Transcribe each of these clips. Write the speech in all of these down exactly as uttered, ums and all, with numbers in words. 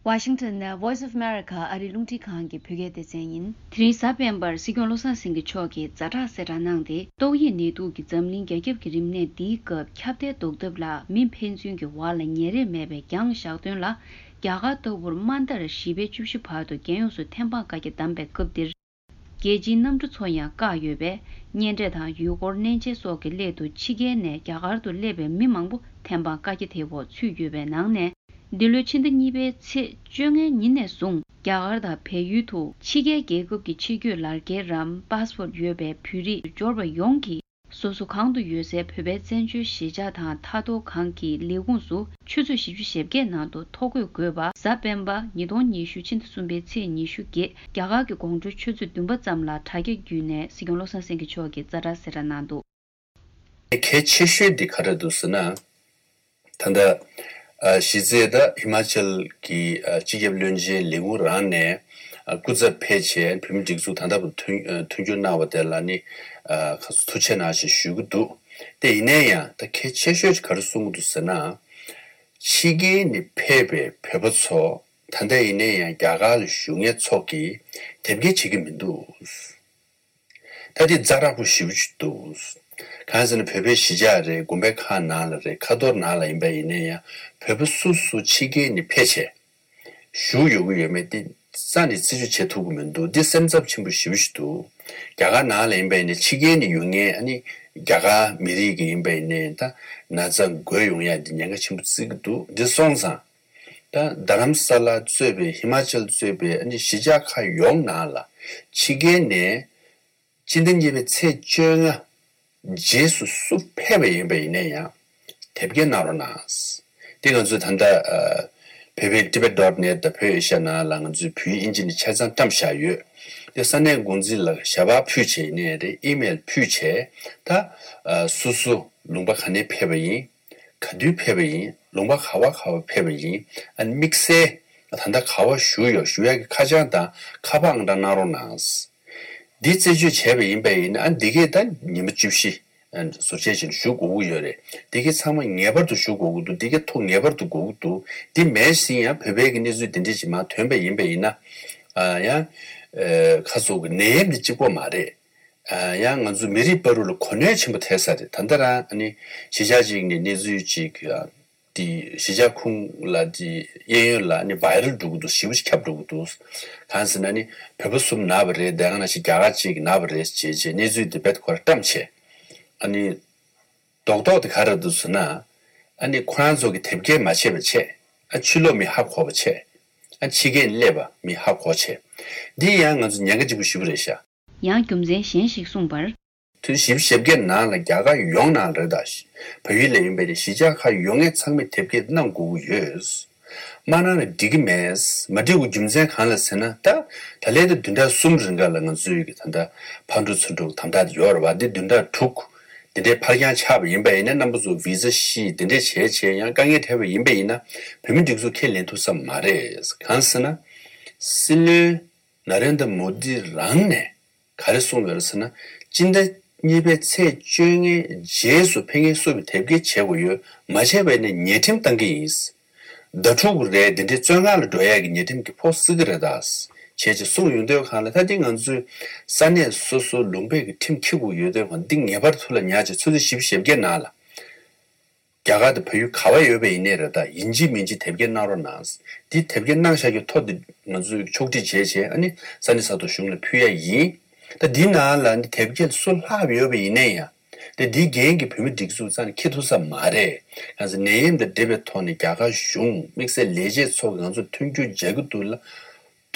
Washington ནས་Voice of America ཨ་རིའི་རླུང་འཕྲིན་ཁང་གི་བོད་སྐད་སྡེ་ཚན་ཡིན། དེ་རིང་གཟའ་སྤེན་པར་སྲིད་སྐྱོང་བློ་བཟང་སེང་གེ་མཆོག་གིས་ཛ་དྲག་གསལ་བསྒྲགས་གནང་སྟེ། ཏོག་དབྱིབས་ནད་དུག་གིས་འཛམ་གླིང་རྒྱ་ཁྱབ་ཀྱི་རིམས་ནད་འདིའི་སྐབས་ཁྱབ་གདལ་ཟློག་ཐབས་ལ་མི་ཕན་ཚུན་གྱི་བར་ལ་ཉེ་རེས་མེད་པའི་རྒྱང་བཞག་དོན་ལ། རྒྱ་གར་ལྟ་བུར་དམའ་མཐར་བཞི་པའི་བཅུ་བཞི་བར་དུ་རྒྱལ་ཡོངས་སུ་ཐེམ་སྤང་བཀའ་རྒྱ་བསྡམས་པའི་སྐབས་འདིར། རྒྱལ་སྤྱིའི་གནམ་གྲུ་ཚོ་ཡང་བཀག་ཡོད་པས། གཉེན་འཕྲད་དང་ཡུལ་སྐོར་གནས་མཇལ་སོགས་ཀྱི་སླད་དུ་ཕྱི་རྒྱལ་ནས་རྒྱ་གར་དུ་སླེབས་པའི་མི་མང་པོ་ཐེམ་སྤང་བཀའ་རྒྱ་དེའི་འོག་ཚུད་ཡོད་པའི་ནང་ནས། འདི་ལོའི་ཕྱི་ཟླ་གཉིས་པའི་ཚེས་བཅོ་ལྔའི་ཉིན་ནས་བཟུང་རྒྱ་གར་དང་བལ་ཡུལ་དུ་ཕྱི་རྒྱལ་རྒྱལ་ཁབ་ཀྱི་ཕྱི་སྐྱོད་ལག་འཁྱེར་རམ་པཱ་སི་པོར་ཡོད་པའི་བོད་རིགས་འབྱོར་པ་ཡོངས་ཀྱིས། སོ་སོ་གང་དུ་ཡོད་སའི་བོད་པའི་བཙན་བྱོལ་གཞིས་ཆགས་དང་མཐའ་སྡོད་ཁང་གི་ལས་ཁུངས་སུ་ཆུ་ཚོད་བཞི་བཅུ་ཞེ་བརྒྱད་ནང་དུ་ཐོ་འགོད་དགོས་པ། གཟའ་སྤེན་པ་ཉིས་སྟོང་ཉི་ཤུ་ཕྱི་ཟླ་གསུམ་པའི་ཚེས་ཉི་ཤུ་བརྒྱད་རྒྱ་གར་གྱི་དགོང་དྲོའི་ཆུ་ཚོད་བདུན་པ་ཙམ་ལ་དྲ་རྒྱ་བརྒྱུད་ནས་སྲིད་སྐྱོང་བློ་བཟང་སེང་གེ་མཆོག་གིས་ཛ་དྲག་གསལ་བསྒྲགས་གནང་འདུག། གལ་ཆེ་ཤོས་འདི་ག་རེ་འདུག་ཟེར་ན། ད་ལྟ་ཨ་གཞི་རྩའི་ད་ཧི་མ་ཅལ་གྱི་ཨ་སྤྱི་ཁྱབ་བློན་ཆེན་ལས་ཁུངས་རང་ནས་ཨ་སྐུ་ཚབ་ཕེབས་བྱས་བོད་མི་སྒྲིག་འཛུགས་ད་ལྟ་བར་མཐུན་ཨ་མཐུན་འགྱུར་གནང་བ་དེ་ལ་ནི་ཨ་ཁ་ཐུགས་རྗེ་གནང་ཞེས་ཞུ་གི་འདུག། དེ་ཡིན་ན་ཡང་ད་གལ་ཆེ་ཤོས་ག་རེ་གསུང་གི་འདུག་ཟེར་ན། ཕྱི་རྒྱལ་ནས་ཕེབས་པའི་བོད་པ་ཚོ་ད་ལྟ་ཡིན་ན་ཡང་རྒྱ་གར་ལ་བཞུགས་མཁན་ཚོ་གིས་དེབ་སྐྱེལ་བྱེད་ཀྱི་མི་འདུག། ད་དེ་ཛ་དྲག་པོ་ཞེ་པོ་ཅིག་འདུག། གང་ཟེར་ན་བོད་པའི་གཞིས་ཆགས་རེད། དགོན་པའི་ཁག་ནང་ལ་རེད། ཁ་ཐོར་ནང་ལ་ཡིན་པ་ཡིན་ན་ཡང་བོད་པ་སོ་སོ་ཕྱི་རྒྱལ་ནས་ཕེབས་བྱས་བཞུགས་ཡོད་ཀྱི་ཡོད་མེད་དེ་རྩ་ནས་རྩིས་སྤྲོད་བྱེད་ཐུབ་ཀྱི་མི་འདུག། འདི་སེམས་འཚབ་ཆེན་པོ་ཞེ་པོ་ཞིག་འདུག། རྒྱ་གར་ནང་ལ་ཡིན་པ་ཡིན་ན་ཕྱི་རྒྱལ་ནས་ཡོང་མཁན་ཨ་ནི་རྒྱ་གར་མི་རིགས་ཀྱི་ཡིན་པ་ཡིན་ན་ད་ན་ཚ་འགོས་ཡོང་ཡ་འདི་ཉེན་ཁ་ཆེན་པོ་བརྩི་གི་འདུག། འདི་སོང་ཙང་། ད་རྡ་རམ་ས་ལ་གཙོས་པའི་ཧི་མ་ཅལ་གཙོས་པའི་ཨ་ནི་གཞིས་ཆགས་ཁག་ཡོངས་ནང་ལ་ཕྱི་རྒྱལ་ནས་སྤྱི་ཟླ་གཉིས་པའི་ཚེས་བཅོ་ལྔ་རྗེས་སུ་སུ་ཕེབས་པ་ཡིན་པ་ཡིན་ན་ཡང་དེབ་སྐྱེལ་གནང་རོགས་གནང་། དེ་ང་ཚོས་ད་ལྟ་ཨ་བོད་པའི་ཊི་བེ་ཊི་ཌོ་ཊི་ནེ་ཊི་དང་བོད་ཨེ་ཤ་ཡ་ནང་ལ་ང་ཚོས་བོད་ཡིག་ཨིན་ཇི་ནས་ཆ་ཚང་བཀྲམ་བཞག་ཡོད། དེ་ས་གནས་འགོ་འཛིན་ལ་ཞལ་པར་ཕུལ་བྱས་ཡིན་ནའི་རེད། ཨི་མེལ་ཕུལ་བྱས་ད་ཨ་སུ་སུ་ལུང་པ་ག་ནས་ཕེབས་པ་ཡིན། ག་དུས་ཕེབས་པ་ཡིན། ལུང་པ་ག་བ་ག་བ་ཕེབས་པ་ཡིན། ཨ་ནི་དམིགས་བསལ་ད་ལྟ་ག་བ་བཞུགས་ཡོད། བཞུགས་ཡག་གི་ཁ་བྱང་དང་ཁ་པར་ཨང་གྲངས་གནང་རོགས་གནང་། འདི་རྩད་གཅོད་བྱས་པ་ཡིན་པ་ཡིན་ན་ཨ་འདི་གས་ད་ཉི་མ་བཅུ་བཞི་ཨ་ཟུར་བཅད་བྱས་ནས་བཞུགས་དགོས་ཀྱི་ཡོད་རེད། འདི་གས་ཚང་མ་ངེས་པར་དུ་བཞུགས་དགོས་ཀྱི་འདུག། འདི་གས་ཐོ་ངེས་པར་དུ་དགོས་ཀྱི་འདུག། འདི་མེད་ཟིན་ཡང་བོད་པའི་གི་གནས་ཚུལ་འདི་འདྲས་ཅིག་མར་ཐོན་པ་ཡིན་པ་ཡིན་ན་ཨ་ཡང་ཨ་ཁ་སོག་གི་ནད་ཡམས་འདི་གཅིག་པོ་མ་རེད། ཨ་ཡང་ང་ཚོ་མི་རིགས་བར་དུ་ལ་གོ་གནོན་ཆེན་པོ་ཐེབས་ས་རེད། ད་ལྟ་རང་ཨ་ནི་གཞིས་ཆགས་གཅིག་ནས་གནས་ཚུལ་གཅིག་ཨ་དེ་གཞིས་ཆགས་ཁུངས་ལ་དེ་གཡས་གཡོན་ལ་ཨ་ནི་བྷའི་རལ་འགྲོ་གི་འདུག། ཞེ་པོ་ཞིག་ཁྱབ་འགྲོ་གི་འདུག། གང་ཟེར་ན་ཨ་ནི་བོད་པ་གསུམ་ན་བ་རེད། དེ་ག་ནང་བཞིན་རྒྱ་གར་གཅིག་ན་བ་རེད་ཅེས་བྱས་གནས་ཚུལ་དེ་རྦད་ཁོ་ར་བཀྲམ་བྱས། ཨ་ནི་རྡོག་རྡོག་དེ་ག་རེ་འདུག་ཟེར་ན། ཨ་ནི་ཁོ་རང་ཚོ་གི་དེབ་སྐྱེལ་མ་བྱས་པ་བྱས། ཨ་ཕྱི་ལོགས་མི་ཧ་གོ་བ་བྱས། ཨ་ཕྱི་རྒྱལ་སླེབས་པ་མི་ཧ་གོ་བྱས། འདི་ཡང་ང་ཚོ་ཉེན་ཁ་ཆེན་པོ་ཞེ་པོ་རེད་ཤག། ཡང་རྒྱུ་མཚན་གཞན་ཞིག་གསུངས་པར། དུས་བཞི་བཅུ་ཞེ་བརྒྱད་ནང་ལ་རྒྱ་གར་ཡོངས་ནང་རེད་ད། བལ་ཡུལ་ལ་ཡོད་པའི་གཞིས་ཆགས་ཁག་ཡོད་མཁན་ཚང་མས་དེབ་སྐྱེལ་གནང་དགོས་ཀྱི་ཡོད། མ་གནང་ན་འགྲིག་གི་མེད། མ་འགྲིག་པའི་རྒྱུ་མཚན་གང་ལ་ཟེར་ན་ད། ད་ལན་ད་བདུན་ཕྲག་གསུམ་རིང་ག་ལ་ང་ཚོའི་གི་ད་ལྟ་ཕར་འགྲོ་ཚུར་འགྲོ་དམ་དྲག་དེ་ཡོད་རེད་བ། འདི་བདུན་ཕྲག་དྲུག་འདི་འདྲའི་ཕར་འགྱངས་ཆགས་པ་ཡིན་པ་ཡིན་ན་རྣམ་པ་ཚོ་བི་ཟ་ཤི་འདི་འདྲས་བྱས་བྱས་ཡང་དཀའ་ངལ་འཕྲད་པ་ཡིན་པ་ཡིན་ན་བོད་མི་སྒྲིག་འཛུགས་ཁས་ལེན་ཐུབ་ས་མ་རེད། གང་ཟེར་ན། སྲིད་བློན་ན་རེན་དྲ་མོ་དི་རང་ནས་ག་རེ་གསུངས་ཡོད་རེད་ཟེར་ན། སྤྱི་ཟླ་གཉིས་པའི་ཚེས་བཅོ་ལྔའི་རྗེས་སུ་ཕེབས་མཁན་སུ་གི་དེབ་སྐྱེལ་བྱེད་དགོས་ཡོད། མ་བྱས་པ་ཡིན་ན་ཉེས་ཁྲིམས་བཏང་གི་ཡིན། ཟླ་དྲུག་རེད། འདི་འདྲའི་བཙོན་ཁང་ལ་འགྲོ་ཡག་གི་ཉེས་ཁྲིམས་ཀྱི་ཕོགས་སྲིད་ཀྱི་རེད་ད། བྱས་ཅིག་གསུངས་ཡོང་དུས་གང་ལ་ད་འདི་ང་ཚོའི་ས་གནས་སོ་སོ་ལུང་པའི་གི་ཁྲིམས་འཁྱེར་དགོས་ཡོད་དུས་གང་འདི་ངེས་པར་ཐུགས་ལ་ཉར་ཅིག་ཆུ་ཚོད་བཞི་བཅུ་ཞེ་བརྒྱད་ནང་ལ། རྒྱ་གར་དང་བལ་ཡུལ་ག་བ་ཡོད་པ་ཡིན་ནའི་རེད་ད། ཡིན་གཅིག་མིན་གཅིག་དེབ་སྐྱེལ་གནང་རོགས་གནང་། འདི་དེབ་སྐྱེལ་གནང་བཞག་རྒྱུ་ཐོ་འདི་ང་ཚོས་ཕྱོགས་སྒྲིག་བྱས་བྱས་ཨ་ནི་ས་གནས་ས་ཐོག་གཞུང་ལ་ཕུལ་ཡ་ཡིན། ད་འདི་ནང་ལ་འདི་དེབ་སྐྱེལ་སུ་ལྷག་ཡོད་པ་ཡིན་ནའི་ཡང་། དེ་འདིའི་འགན་གྱི་བོད་མི་སྒྲིག་འཛུགས་རྩ་ནས་འཁྱེར་ཐུབ་ས་མ་རེད། གང་ཟེར་ནད་ཡམས་དང་འབྲེལ་བའི་ཐོག་ནས་རྒྱ་གར་གཞུང་དམིགས་བསལ་ལས་བྱེད་ཚོ་གིས་ང་ཚོར་མཐུན་འགྱུར་བྱ་རྒྱུ་འདུག་ལ།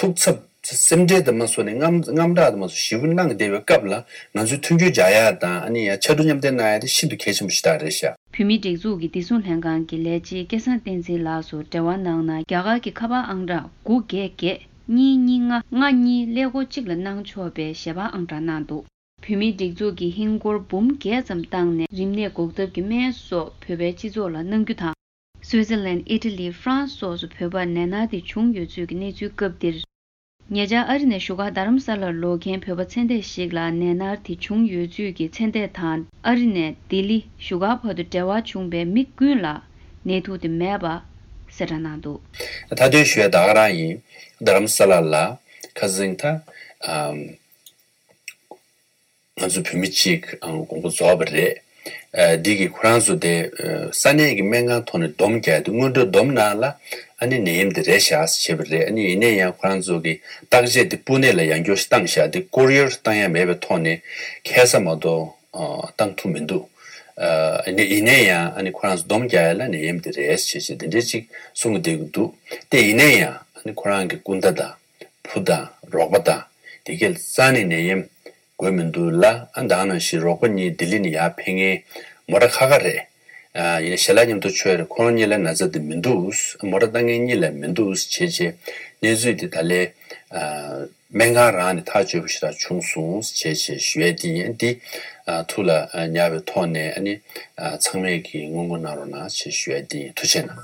ཐུགས་འཚབ་སེམས་ཁྲལ་དང་མ་སོགས་ནས་དངངས་དངངས་སྐྲག་དང་མ་སོགས་ཞེ་པོ་གནང་བསྡད་པའི་སྐབས་ལ་ང་ཚོའི་མཐུན་འགྱུར་སྦྱར་ཡ་དང་ཨ་ནི་ཡང་ཕྱར་གྲུ་མཉམ་འདེགས་གནང་ཡ་དེ་ཤིན་ཏུ་གལ་ཆེན་པོ་ཞིག་རེད་ཤག། བོད་མིའི་སྒྲིག་འཛུགས་ཀྱི་བདེ་སྲུང་ལྷན་ཁང་གི་ལས་བྱེད་སྐལ་བཟང་བསྟན་འཛིན་ལགས་སུ་འབྲེལ་བ་གནང་ན་རྒྱ་གར་གྱི་ཁ་པར་ཨང་གྲངས་དགུ་བརྒྱད་བརྒྱད་གཉིས་གཉིས་ལྔ་ལྔ་གཉིས་ཀླད་ཀོར་གཅིག་ལ་གནང་ཆོག་པའི་ཞལ་པར་ཨང་གྲངས་གནང་འདུག། བོད་མིའི་སྒྲིག་འཛུགས་ཀྱིས་ཧིན་སྒོར་འབུམ་བརྒྱད་ཙམ་བཏང་ནས་རིམས་ནད་འགོག་ཐབས་ཀྱི་སྨན་སོགས་བོད་པའི་སྤྱི་ཚོགས་ལ་གནང་རྒྱུ་དང་། སུའི་ཙི་ལན། ཨི་ཊ་ལི། ཧྥ་རན་སི་སོགས་སུ་བོད་པར་ནད་མནར་དེ་བྱུང་ཡོད་ཚུལ་གྱི་གནས་ཚུལ་སྐབས་འདིར། ཉེ་ཆར་ཨ་རི་ནས་བཞུགས་སྒར་རྡ་རམ་ས་ལར་ལོག་མཁན་བོད་པ་ཚེ་འདས་ཤིག་ལ་ནད་མནར་དེ་བྱུང་ཡོད་ཚུལ་གྱི་ཚེ་འདས་དང་ཨ་རི་ནས་ལྡི་ལི་བཞུགས་སྒར་བར་དུ་འབྲེལ་བ་བྱུང་བའི་མི་ཀུན་ལ་ནད་དུག་དེ་མེད་པ། གསལ་བསྒྲགས་གནང་འདུག། མཐའ་དོན་ཞུ་ཡ་ད་ག་རང་ཡིན། རྡ་རམ་ས་ལ་ལ་ཁ་སང་ད་ཨམ་ང་ཚོ་བོད་མི་གཅིག་ཨམ་དགོངས་པ་རྫོགས་པ་རེད། ཨ་འདི་གི་ཁོ་རང་ཚོ་དེ་ཨ་ས་གནས་ཀྱི་སྨན་ཁང་ཐོག་ནས་སྡོམ་རྒྱག་དུས་སྔོན་འགྲོ་སྡོམ་ནང་ལ་ཨ་ནི་ནད་ཡམས་དེ་རེད་ཤག་ཟེར་བྱས་པ་རེད། ཨ་ནི་ཡིན་ན་ཡང་ཁོ་རང་ཚོ་གི་བརྟག་དཔྱད་དེ་སྤུ་ནས་ལ་ཡང་བསྐྱར་བཏང་བཞག་དེ་ཀོ་རི་ཡར་བཏང་ཡ་མེད་པའི་ཐོག་ནས་ཁ་སང་མ་གཏོགས་ཨ་བཏང་ཐུབ་མི་འདུག། ཨ་ཡིན་ན་ཡང་ཨ་ནི་ཁོ་རང་ཚོ་སྡོམ་རྒྱག་ཡ་ལ་ནད་ཡམས་དེ་རེད་ཟེར་བྱས་དེ་འདྲ་ཅིག་གསུང་གི་བསྡད་ཀྱི་འདུག། དེ་ཡིན་ན་ཡང་ཨ་ནི་ཁོ་རང་གི་སྐུ་ཟླ་དང་བུ་དང་རོགས་པ་དང་དེ་གས་རྩ་ནས་ནད་ཡམས་འགོས་མི་འདུག་ལ། ཨ་ད་ག་ནང་བཞིན་རོགས་པ་གཉིས་ལྡི་ལི་ནས་ཡར་ཕེབས་མཁན་མོ་ཊ་ཁ་ཁ་རེད། ཨ་ཡིན་ན་ཞལ་ལག་མཉམ་དུ་མཆོད་རེད། ཁོ་རང་གཉིས་ལ་ན་ཚ་དེ་མི་འདུག། མོ་ཊ་བཏང་མཁན་གཉིས་ལ་མི་འདུག་བྱས་བྱས་གནས་ཚུལ་དེ་ད་ལས་ཨ་སྨན་ཁང་རང་ནས་ཐག་གཅོད་པ་ཞེ་དྲག་བྱུང་སོང་བྱས་བྱས་ཞུ་ཡ་དེ་ཡིན། འདི་ཨ་ཐུགས་ལ་ཨ་ཉར་བའི་ཐོག་ནས་ཨ་ནི་ཨ་ཚང་མས་ཀྱིས་སྔོན་འགོག་གནང་རོགས་གནང་བྱས་ཞུ་ཡ་དེ་ཡིན། ཐུགས་རྗེ་གནང་།